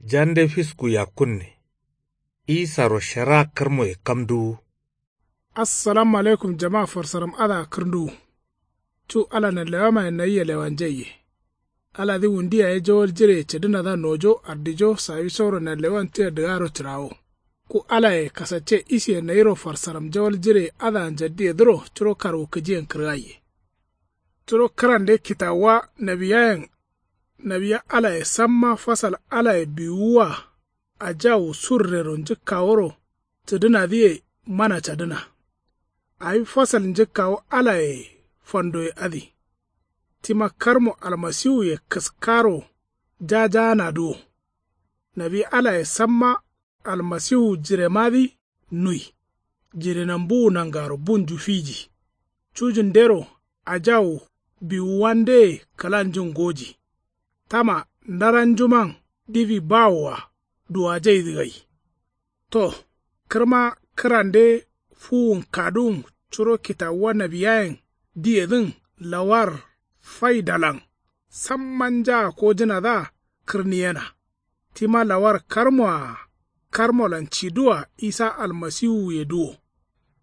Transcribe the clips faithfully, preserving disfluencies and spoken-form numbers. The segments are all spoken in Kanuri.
Jande fisku yakkunne. Isaro shara kǝrmoye kamduwu. Assalamu alaikum jama farsaram adǝa kǝrnduwu. Cu ala nanlewamaye nayia lewanjaiye. Aladǝ wundu yaye jawal jireye cǝdǝnadǝa nojo ardijo sawisoro nanlewan tia dǝgaro cǝrawo. Ku alaye kasacce isiye nayiro farsaram jawal jireye adǝa njaddiyedǝro curo karwukǝjiyen kǝrgaiye. Curo kǝrande kitawuwa nawiyayen. Nawiya alaye samma fasal alaye biwuwa. Ajawu surrero njǝkkaworo cǝdǝnadǝye mana cadǝna. Awi fasal njǝkkawo alaye fandoye adǝ. Tima karmo almasiwuye kǝskaro jajaanadǝ wo. Nawi alaye samma almasiwu jiremadǝ nui. Jirenambuwu nangaro bunju fiji. Cujundero ajawu biwuwandeye kǝlanjun ngoji. Tama ndaranjuman diwi bawoa duwajaidǝ gai. To kǝrma kǝrande fuwun kaduwun curo kitawuwa nawiyayen diyedǝn lawar faidalan samma njaa kojǝnadǝa kǝrniyena. Tima lawar karmoa karmolan ciduwa isa almasiwuyedǝ wo.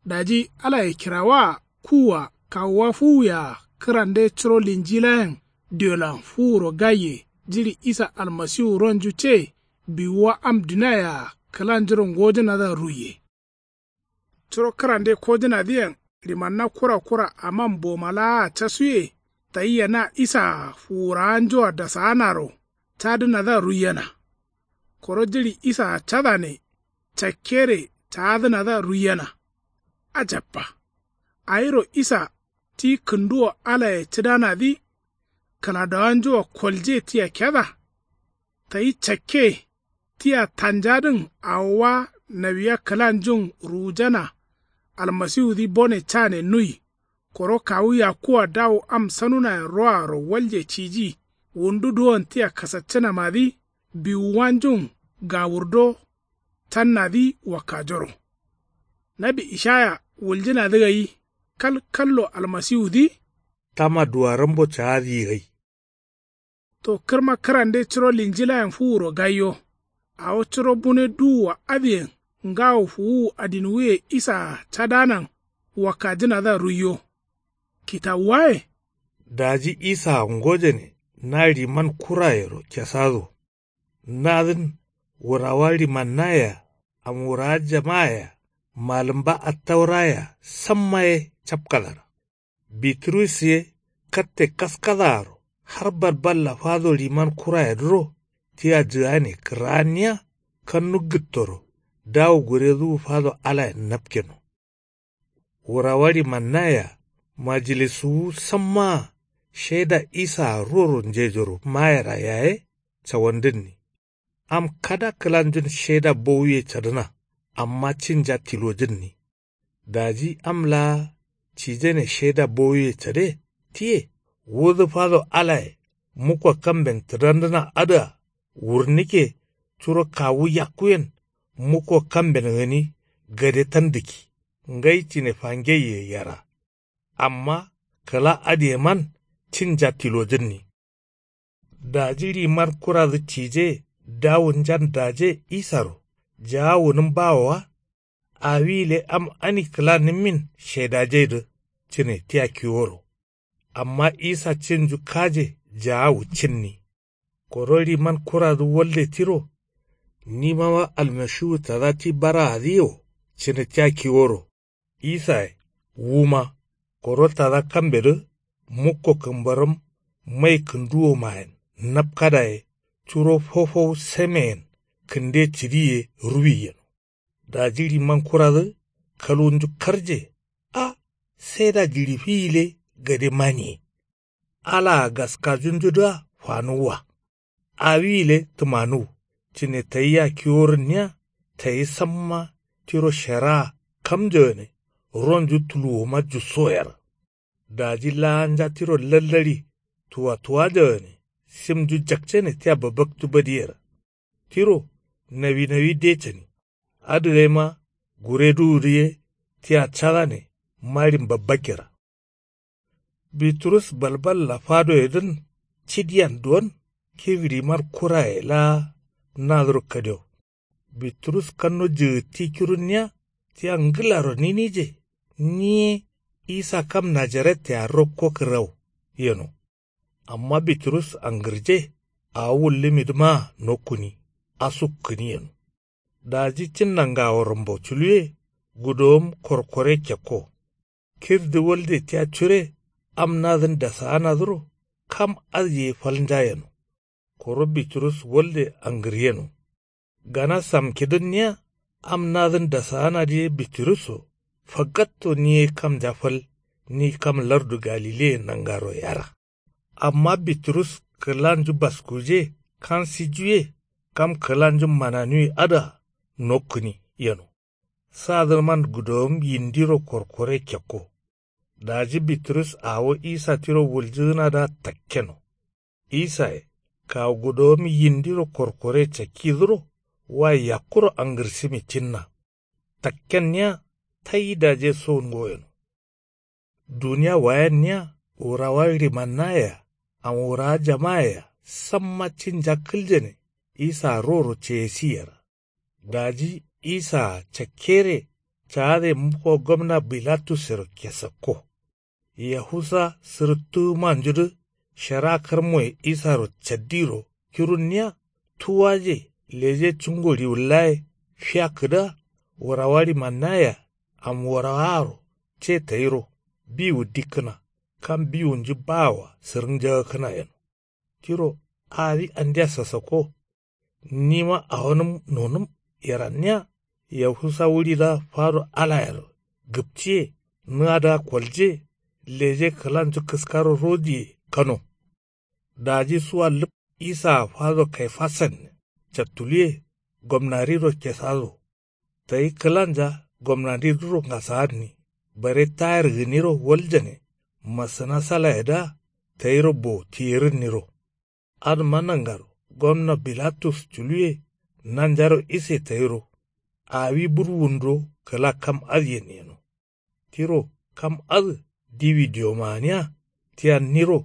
Daji alaye kirawaa kuwua kawuwa fuwuyea kǝrande curo linjilayen diolan fuwuro gaiye jiɍi isa almasiwu ronju ce biwuwa am duniayea kǝlanjuro ngojǝnadǝa ruiye. Curo kǝrande kojǝnadǝyen limanna kura kura aman boma laa casuye tayia na isaa fuwurawanjua dasaanaro cadǝnadǝa ruiyena. Koro jiɍi isaa cadane cakkere caadǝnadǝa ruiyena. Ajabba. Awiro isa ti kǝnduwo alaye cǝdanadǝ kǝladowanjua kolje tia keda. Tayi cakke tia tanjadǝn awowa nawiya kǝlanjun ruwujana. Almasiwudǝ bone cane nui. Koro kawu yakkuwa dawu am sanunayen roaro walje ciji. Wundu duwon tia kasaccǝnamadǝ biwuwanjun gawurdo cannadǝ wakkajoro. Nawi ishaya wuljǝnadǝ gai kal kallo almasiwudǝ. Tama duwarambo caadǝ gai. To kǝrma kǝrande curo linjilayen fuwuro gaiyo. Awo curo bune duwua adǝyen ngawo fuwuwu adinwuye isaa cadanan wakkajǝnadǝa ruiyo. Kitawuwaye. Daji isaa ngojane na liman kurayero kesado. Nadǝn wurawa limannayea amwurawa jamayea malǝmba attaurayea samma ye capkadara. Biturus ye katte kaskadaaro har balballa fado liman kurayedǝro tia jǝgane kǝra'anniya kannu gǝttoro dawu guredǝwu fado alayen napkeno. Wurawa limannayea majilisuwu sammaa sheda isaa ruworo njejoro mayera yaye cawandǝnni. Am kada kǝlanjun sheda bowuye cadǝna amma cinja tilojǝnni. Daji am laa cijane sheda bowuye cade tiye wudǝ fado alaye mukko kamben tǝdandǝna adǝa wurnǝkke curo kawu yakkuyen mukko kamben gǝni gade tandǝkki ngai cine fangeiye yera. Amma kǝla adǝyeman cinja tilojǝnni. Daji liman kuradǝ cije dawunjan daje isaro jaa wunǝm bawowa. Awi gǝle am ani kǝlanǝmmin shedajaidǝ cǝne tia kiworo. Amma isa cinju kaje jaawu cǝnni. Koro liman kuradǝ walde tiro. Nimawa almashiwu tada ti baraadǝ yewo cǝne tia kiworo. Isaye wuma koro tada kambedǝ mukko kǝmbarǝm mai kǝnduwomayen napkadaye curo fofow sameyen kǝnde cǝdiye ruwi yeno. Daji liman kuradǝ kalwunju karje. A saida jiɍi fi gǝle gade maniye. Alaa gaskajunjudǝa fanuwwa. Awi gǝle tǝmanuw cǝne tayia kiworǝnniya tayi samma tiro sheraa kamjo gǝne ronju tuluwoma jusso yer. Daji laanja tiro lallaɍi tuwatuwajo gǝne simnju jakcane tia babaktu badiyer. Tiro nawinawi de cani. Adǝgaima gureduwudǝ ye tia cadane maɍin babbakkera. Biturus balballa fadoyedǝn cidiyan duwon kigǝɍiman kuraye laa nadǝro kadio. Biturus kanno jǝgǝtti kirunniya tia ngǝlaro ninije. Ni ye isa kam najaret yea rokko kǝrrau yeno. Amma biturus angǝrje awo wullǝmidǝmaa nokkuni asukkǝni yeno. Daji cinna ngawo rambo culuwe gudowom korkore kekko. Kirdǝ walde tia cure am nadǝn dasaanadǝro kam adǝ ye falnja yeno. Koro biturus walde angǝryeno. Gana samkidǝnniya am nadǝn dasaanadǝ ye biturusso fagatto ni ye kamnja fal ni kam lardu galileye nangaro yera. Amma biturus kǝlanju baskuje kansijuye kam kǝlanju mananuwi adǝa nokkǝni yeno. Sadǝman gudowom yindiro korkore kekko. Daji biturus awo isa tiro wuljǝgǝnadǝa takkeno. Isaye kawu gudowom yindiro korkore cakkidǝro wa yakkuro angǝrsǝmi cinna. Takkenniya tayi daje sowun ngoyeno. Duniya wayenniya wurawa ɍimannayea awurawa jamayea samma cinja kǝljane. Isaa roro ceyesi yera. Daji isaa cakkere caade mukko gomna bilatussero kesakko. Yahusa sǝrǝttǝgǝmanjudǝ shara karmoye isaro caddiro kirunniya tuwaje leje cungo riwullaye fiyakkǝdǝa wurawa ɍimannayea am wurawaaro ce tayiro biwu dikkǝna kam biwunju baawoa sǝrǝnjagakkǝna yeno. Tiro awi andia sasakko. Nima awonǝm nonǝm yeranniya yahusa wuɍidǝa fado alayero gǝpciye nǝadǝa kolje leje kǝlanju kǝskaro rodiye kano. Daji suwa lǝp isaa fado kaifasan cattuluwe gomnadiro kesado. Tayi kǝlanja gomnadidǝro ngasaanni bare tayar gǝniro waljane masǝna salayedǝa tayiro bo tiyerǝnniro. Adǝma nangaro gomna bilatus culuwe nanjaro ise tayiro awi burwunduro kǝla kam adǝyen yeno. Tiro kam adǝ diwi diyomaaniya tia niro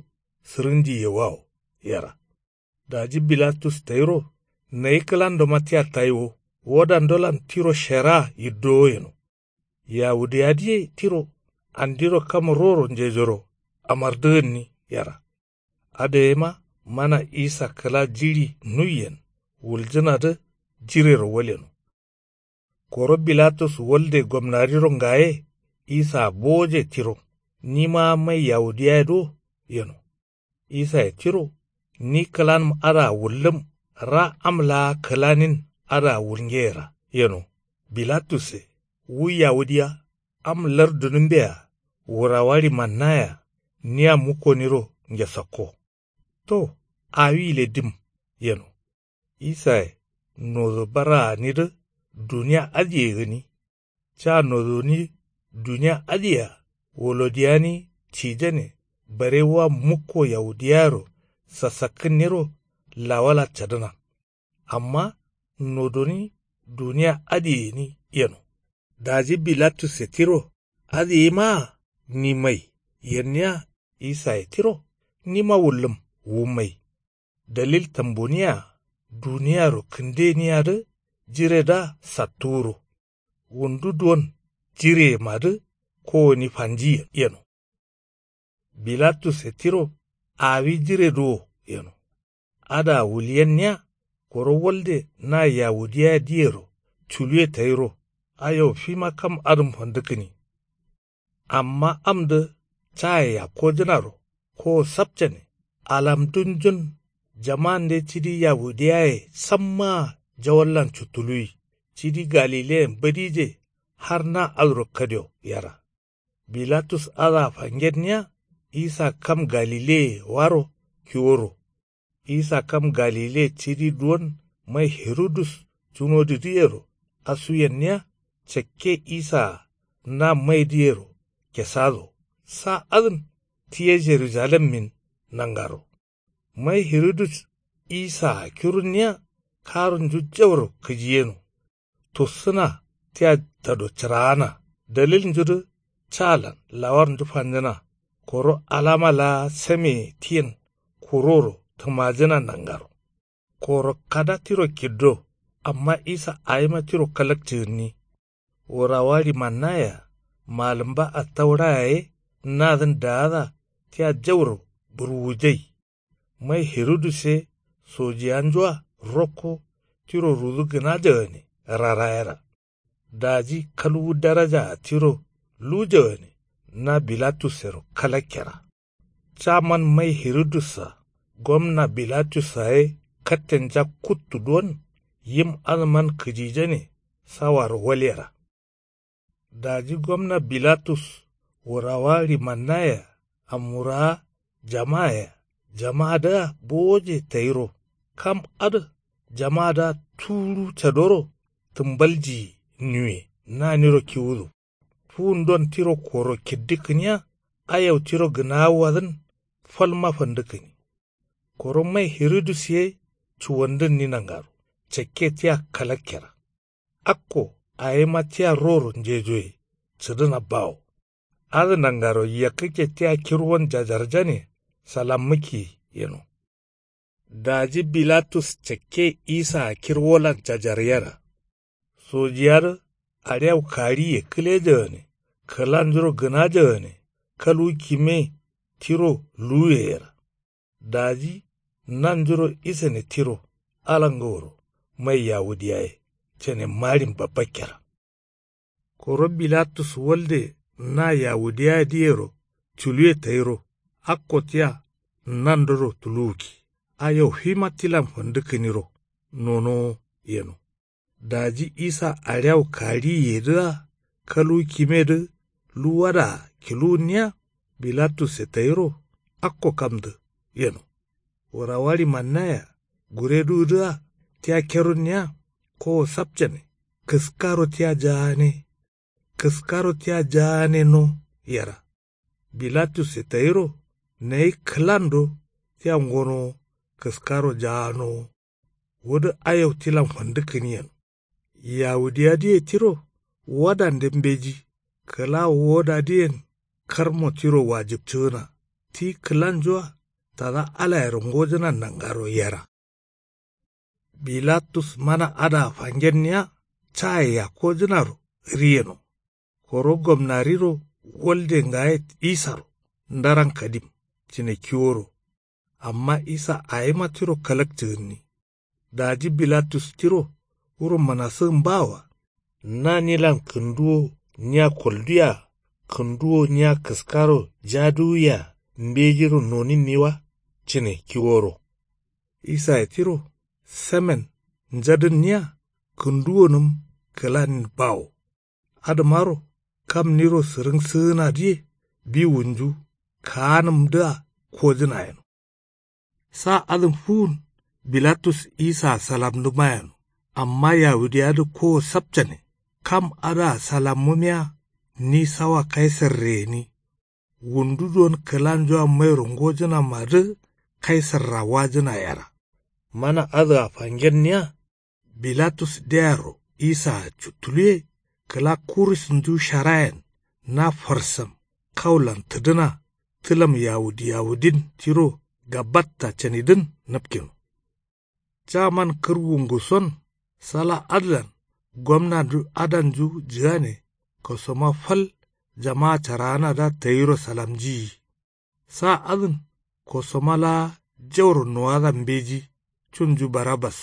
sǝrǝnji yewawo yera. Daji bilatus tayiro nayi kǝlandoma tia tayiwo wodandolan tiro sheraa yiddowo yeno. Yawudiyadǝye tiro andiro kam roro njejoro amardǝgǝnni yera. Adǝ yema mana isa kǝla jiɍi nuiyen wuljǝnadǝ jirero waleno. Koro bilatus walde gomnadiro ngaye isaa bowoje tiro nimaa mai yawudiyaye do yeno. Isaye tiro ni kǝlanǝm adǝa wullǝm ra am laa kǝlanin adǝa wulngeyera yeno. Bilatusse wu yawudiya am lardunǝmbea wurawa ɍimannayea nia mukkoniro ngesakko. To awile dim yeno. Isaye nodo bara gǝnidǝ duniya adǝye gǝni. Ca nodoni duniya adǝyea wolodiyani cijane bare wa mukko yawudiyayero sasakkǝnniro lawala cadǝna. Amma nodoni duniya adǝye gǝni yeno. Daji bilatusse tiro adǝ yemaa ni mai yenniya. Isaye tiro nima wullǝm wu mai. Dalil tamboniyea duniyaro kǝndeniyadǝ jiredǝa sattuwuro. Wundu duwon jireyemadǝ kowoni fanji yeno. Bilatusse tiro awi jiredǝ wo yeno. Adǝa wulyenniya koro walde na yawudiyayedǝyero culuwe tayiro ayo fima kam adǝm fandǝkkǝni. Amma amdǝ caye yakkojǝnaro kowo sapcane alamdunjun jamande cidi yawudiyaye sammaa jawallan cuttuluwi cidi galileyen badije har na adǝro kadio yera. Bilatus adǝa fangenniya isa kam galileye waro kiworo. Isa kam galile cidi duwon mai hirudus cunodidǝyero asuyenniya cakke isaa na maidǝyero kesado sa adǝn tiye jerujalemmin nangaro. Mai hirudus isaa kirunniya karunju jauro kǝjiyeno. Tussǝna tia tado cǝraana dalilnjudǝ calan lawarnju fanjǝna koro alama laa sameye tiyen kuroro tǝmajǝna nangaro. Koro kada tiro kiddo. Amma isa awima tiro kalakcǝgǝnni. Wurawa ɍimannayea malǝmba attaura yaye nadǝn daada tia jauro burwujai. Mai herudus ye sojiyanjua rokko tiro rudu gǝna jagane rarayera. Daji kalwu darajaa tiro luwu jagane na bilatussero kalakkera. Caman mai herudussa gomna bilatussa ye kattenja kuttu duwon yim adǝman kǝjijane sawaro walyera. Daji gomna bilatus wurawa ɍimannayea amwurawa jamaa yea jamaadǝa bowoje tayiro kam adǝ jamaadǝa tuwuɍu cadoro tǝmbaljiyi niwye naniro kiwudu. Fuwundon tiro koro kiddǝkkǝniya ayau tiro gǝnaawadǝn falma fandǝkkǝni. Koro mai herodus ye cuwandǝnni nangaro cakke tia kalakkera. Akko awima tia roro njejoye cǝdǝna bawo. Adǝ nangaro yakkǝkke tia kirwon jajarjane salammǝkkiye yeno. Daji bilatus cakke isaa kirwolan jajaryera. Sojiyadǝ aɍiyau kariye kǝlejagane kǝlanjuro gǝnajagane kalwu kime tiro luwuyeyera. Daji nanjuro isane tiro ala ngaworo mai yawudiyaye cane maɍin babbakkera. Koro bilatus walde na yawudiyadǝyero culuwe tayiro akko tia nandoro tuluwukki ayau fima tilan fandǝkkǝniro nonowo yeno. Daji isa aɍiyau kariyedǝa kalwu kimedǝ luwadaa kiluwunniya bilatusse tayiro akko kamdǝ yeno. Wurawa ɍimannayea gureduwudǝa tia kerunniya kowo sapcane kǝskaro tia jaane kǝskaro tia jaaneno yera. Bilatusse tayiro nayi kǝlando tia ngonowo kǝskaro jaanowo. Wudǝ ayau tilan fandǝkkǝni yeno. Yawudiyadǝye tiro wadande mbeji kǝla wodadǝyen karmo tiro wajibcǝgǝna ti kǝlanjua tada alayero ngojǝnan nangaro yera. Bilatus mana adǝa fangenniya caye yakkojǝnaro ri yeno. Koro gomnariro walde ngaye isaro ndaran kadim cǝne kiworo. Amma isa awima tiro kalakcǝgǝnni. Daji bilatus tiro wuro mǝnasǝgǝn bawoa. Na nilan kǝnduwo nia kolduwea kǝnduwo nia kǝskaro jaduwuyea mbejiro noninniwa cǝne kiworo. Isaye tiro samen njadǝnniya kǝnduwonǝm kǝlanin bawo. Adǝmaro kam niro sǝrǝngsǝgǝnadǝye biwunju kaanǝmdǝa kojǝna yeno. Sa adǝn fuwun bilatus isaa salamdǝma yeno. Amma yawudiyadǝ kowo sapcane kam adǝa salammumiya ni sawa kaisarre gǝni. Wundu don kǝlanjua mairo ngojǝnamadǝ kaisarra wajǝna yera. Mana adǝa fangenniya bilatus deyaro isaa cuttuluwe kǝla kurisnju sharayen na farsam kaulan tǝdǝna tǝlam yawudi yawudin tiro gabatta canidǝn nǝpkeno. Caman kǝrwunguson sala adǝlan gomnandu adanju jǝgane kosoma fal jama caraanadǝa tayiro salamjiyi. Sa adǝn kosoma laa jauro nowadan mbeji cunju barabas.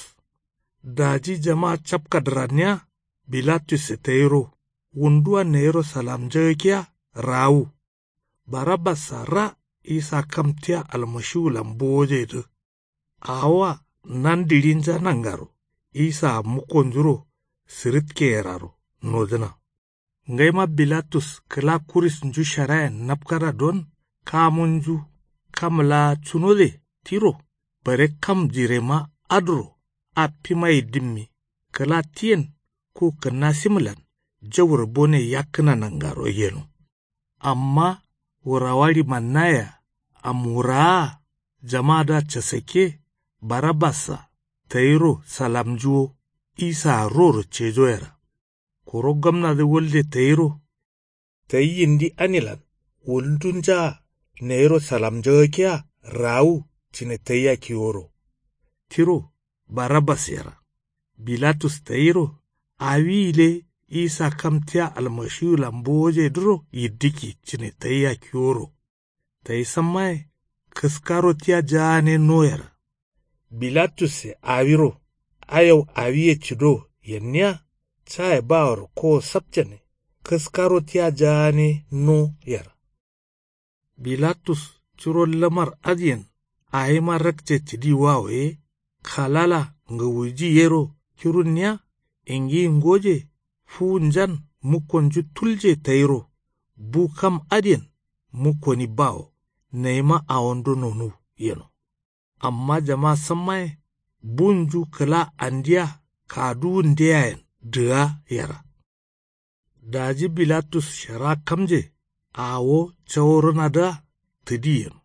Daji jama capkadǝranniya bilatusse tayiro wunduwa nayiro salamjagakkiya raawu. Barabassa ra isa kam tia almashiwulan bowojedǝ. Awoa nandiɍinja nangaro isaa mukkonjuro sǝrǝtkeyeraro nojǝna. Ngaima bilatus kǝla kurisnju sharayen napkada don kamunju kam laa cunode tiro bare kam jirema adǝro affimaye dǝmmi kǝla tiyen ku kǝnnasimlan jauro bone yakkǝna nangaro yeno. Amma wurawa ɍimannayea amwurawaa jamadǝa casakke barabassa tayiro salamnju wo isaa roro cejoyera. Koro gomnadǝ walde tayiro tayi yindi anilan wundunjaa nayiro salamnjagakkiya raawu cǝne tayia kiworo. Tiro Barabbas yera. Bilatus tayiro awi gǝle isa kam tia almashiwulan bowojedǝro yiddǝkki cǝne tayia kiworo. Tayi sammaye kǝskaro tia jaane no yera. Bilatusse awiro ayau awiye cǝdo yenniya caye baworo kowo sapcane kǝskaro tia jaane no yera. Bilatus curo lamar adǝyen awima rakce cǝdi wawo ye kalala ngawuji yero kirunniya ingiyi ngoje fuwunjan mukkonju tulje tayiro bu kam adǝyen mukkoni bawo nayima awondo nonuw yeno. Amma jama sammaye bunju kǝla andiya kaduwundeyayen dǝga yera. Daji bilatus shara kamje awo caworǝnadǝa tǝdi yeno.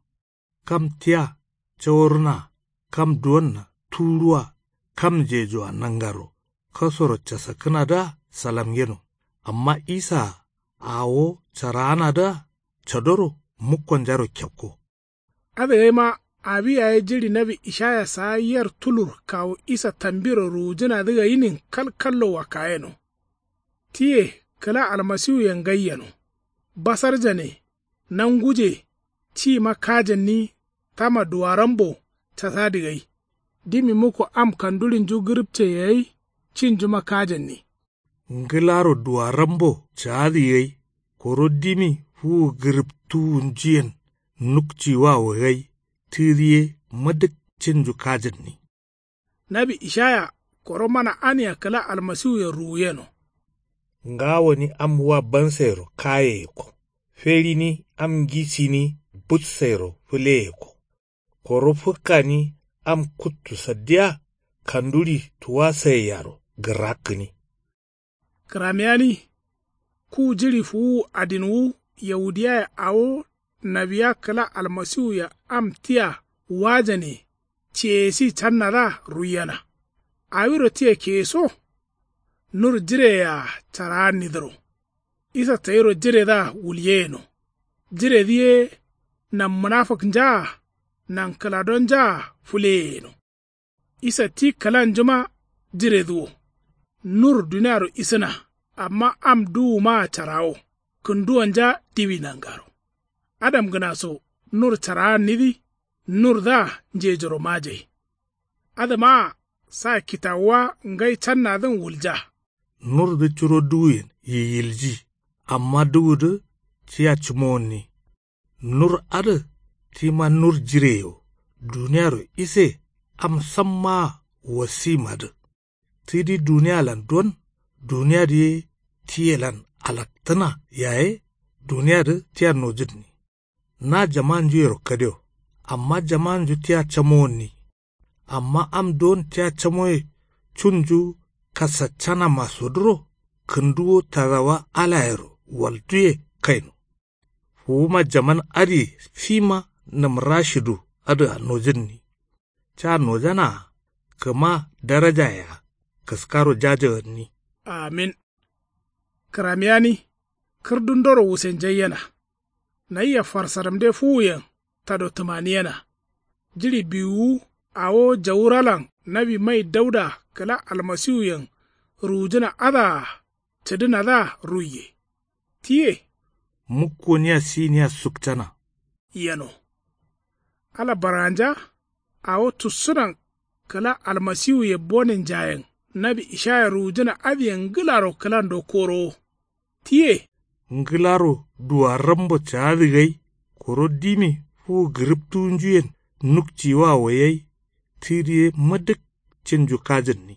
Kam tia caworǝnaa kam duwonna tuwuruwa kamnjejoa nangaro kasoro casakkǝnadǝa salamgeno. Amma isaa awo caraanadǝa cadoro mukkonjaro kekko. Adǝ gaima awi yaye jiɍi nawi ishaya saa yer tulur kawu isa tambiro ruwujǝnadǝ gainin kalkallo wakkayeno. Tiye kǝla almasiwuyen gai yeno. Basarjane nanguje tima kajǝnni tama duwarambo casadǝ gai. Dimi mukko am kanduɍinju gǝrǝpceye gai cinjuma kajǝnni. Ngǝlaro duwarambo caadǝ gai koro dimi fuwu gǝrǝptuwunjuyen nukciwawo gai tǝdi ye mǝdǝk cinju kajǝnni. Nawi ishaya koro mana ania kǝla almasiwuyen ruwuyeno. Ngawoni am wa bansairo kayeyekko feɍini am ngisini butsairo fǝleyekko. Koro fǝkkani am kuttu saddiya kanduɍi tuwasaiyaro gǝrakkǝni. Kǝramiyani ku jiɍi fuwuwu adinwu yahudiyaye awo nawiya kǝla almasiwuye am tia wajane ceyesi cannadǝa ruiyena. Awiro tia keyeso nur jireyea caraannidǝro. Isa tayiro jiredǝa wulyeyeno. Jiredǝ ye nan munafǝknjaa nan kǝladonjaa fǝleyeyeno. Isa ti kǝlanjuma jiredǝ wo. Nur duniaro isǝna amma am duwumaa carawo kǝnduwanja diwi nangaro. Adamgǝnaso nur caraannidǝ nurdǝa njejoro majai. Adǝmaa sa kitawuwa ngai cannadǝn wulja. Nurdǝ curo duwuyen yiyilji amma duwudǝ tia cǝmowonni. Nur adǝ tima nur jireyo duniaro ise am sammaa wasimadǝ. Tidi dunialan don duniyadǝ ye tiyelan alaktǝna yaye duniyadǝ tia nojǝnni. Na jamanjuyero kadio amma jamanju tia camowonni. Amma am don tia camoye cunju kasaccanamaso dǝro kǝnduwo tadawa alayero walduye kaino. Fuwuma jaman adǝye fima nǝmrashidu adǝa nojǝnni. Ca nojanaa kǝma darajayea kǝskaro jajawanni. Amin. Kǝramiyani kǝrdundoro wusenjaiyena. Nayia farsaramde fuwuyen tado tǝmaniyena. Jiɍi biwuwu awo jawuralan nawi mai dauda kǝla almasiwuyen ruwujǝna adǝa cǝdǝnadǝa ruiye. Tiye mukkoniya siniya sukcana yeno. Ala baranja awo tussǝnan kǝla almasiwuye boninjayen nawi ishaya ruwujǝna adǝyen ngǝlaro kǝlando korowo. Tiye ngǝlaro duwarambo caadǝ gai koro dimi fuwu gǝrǝptuwunjuyen nukciwawo yai tǝdiye mǝdǝk cinju kajǝnni.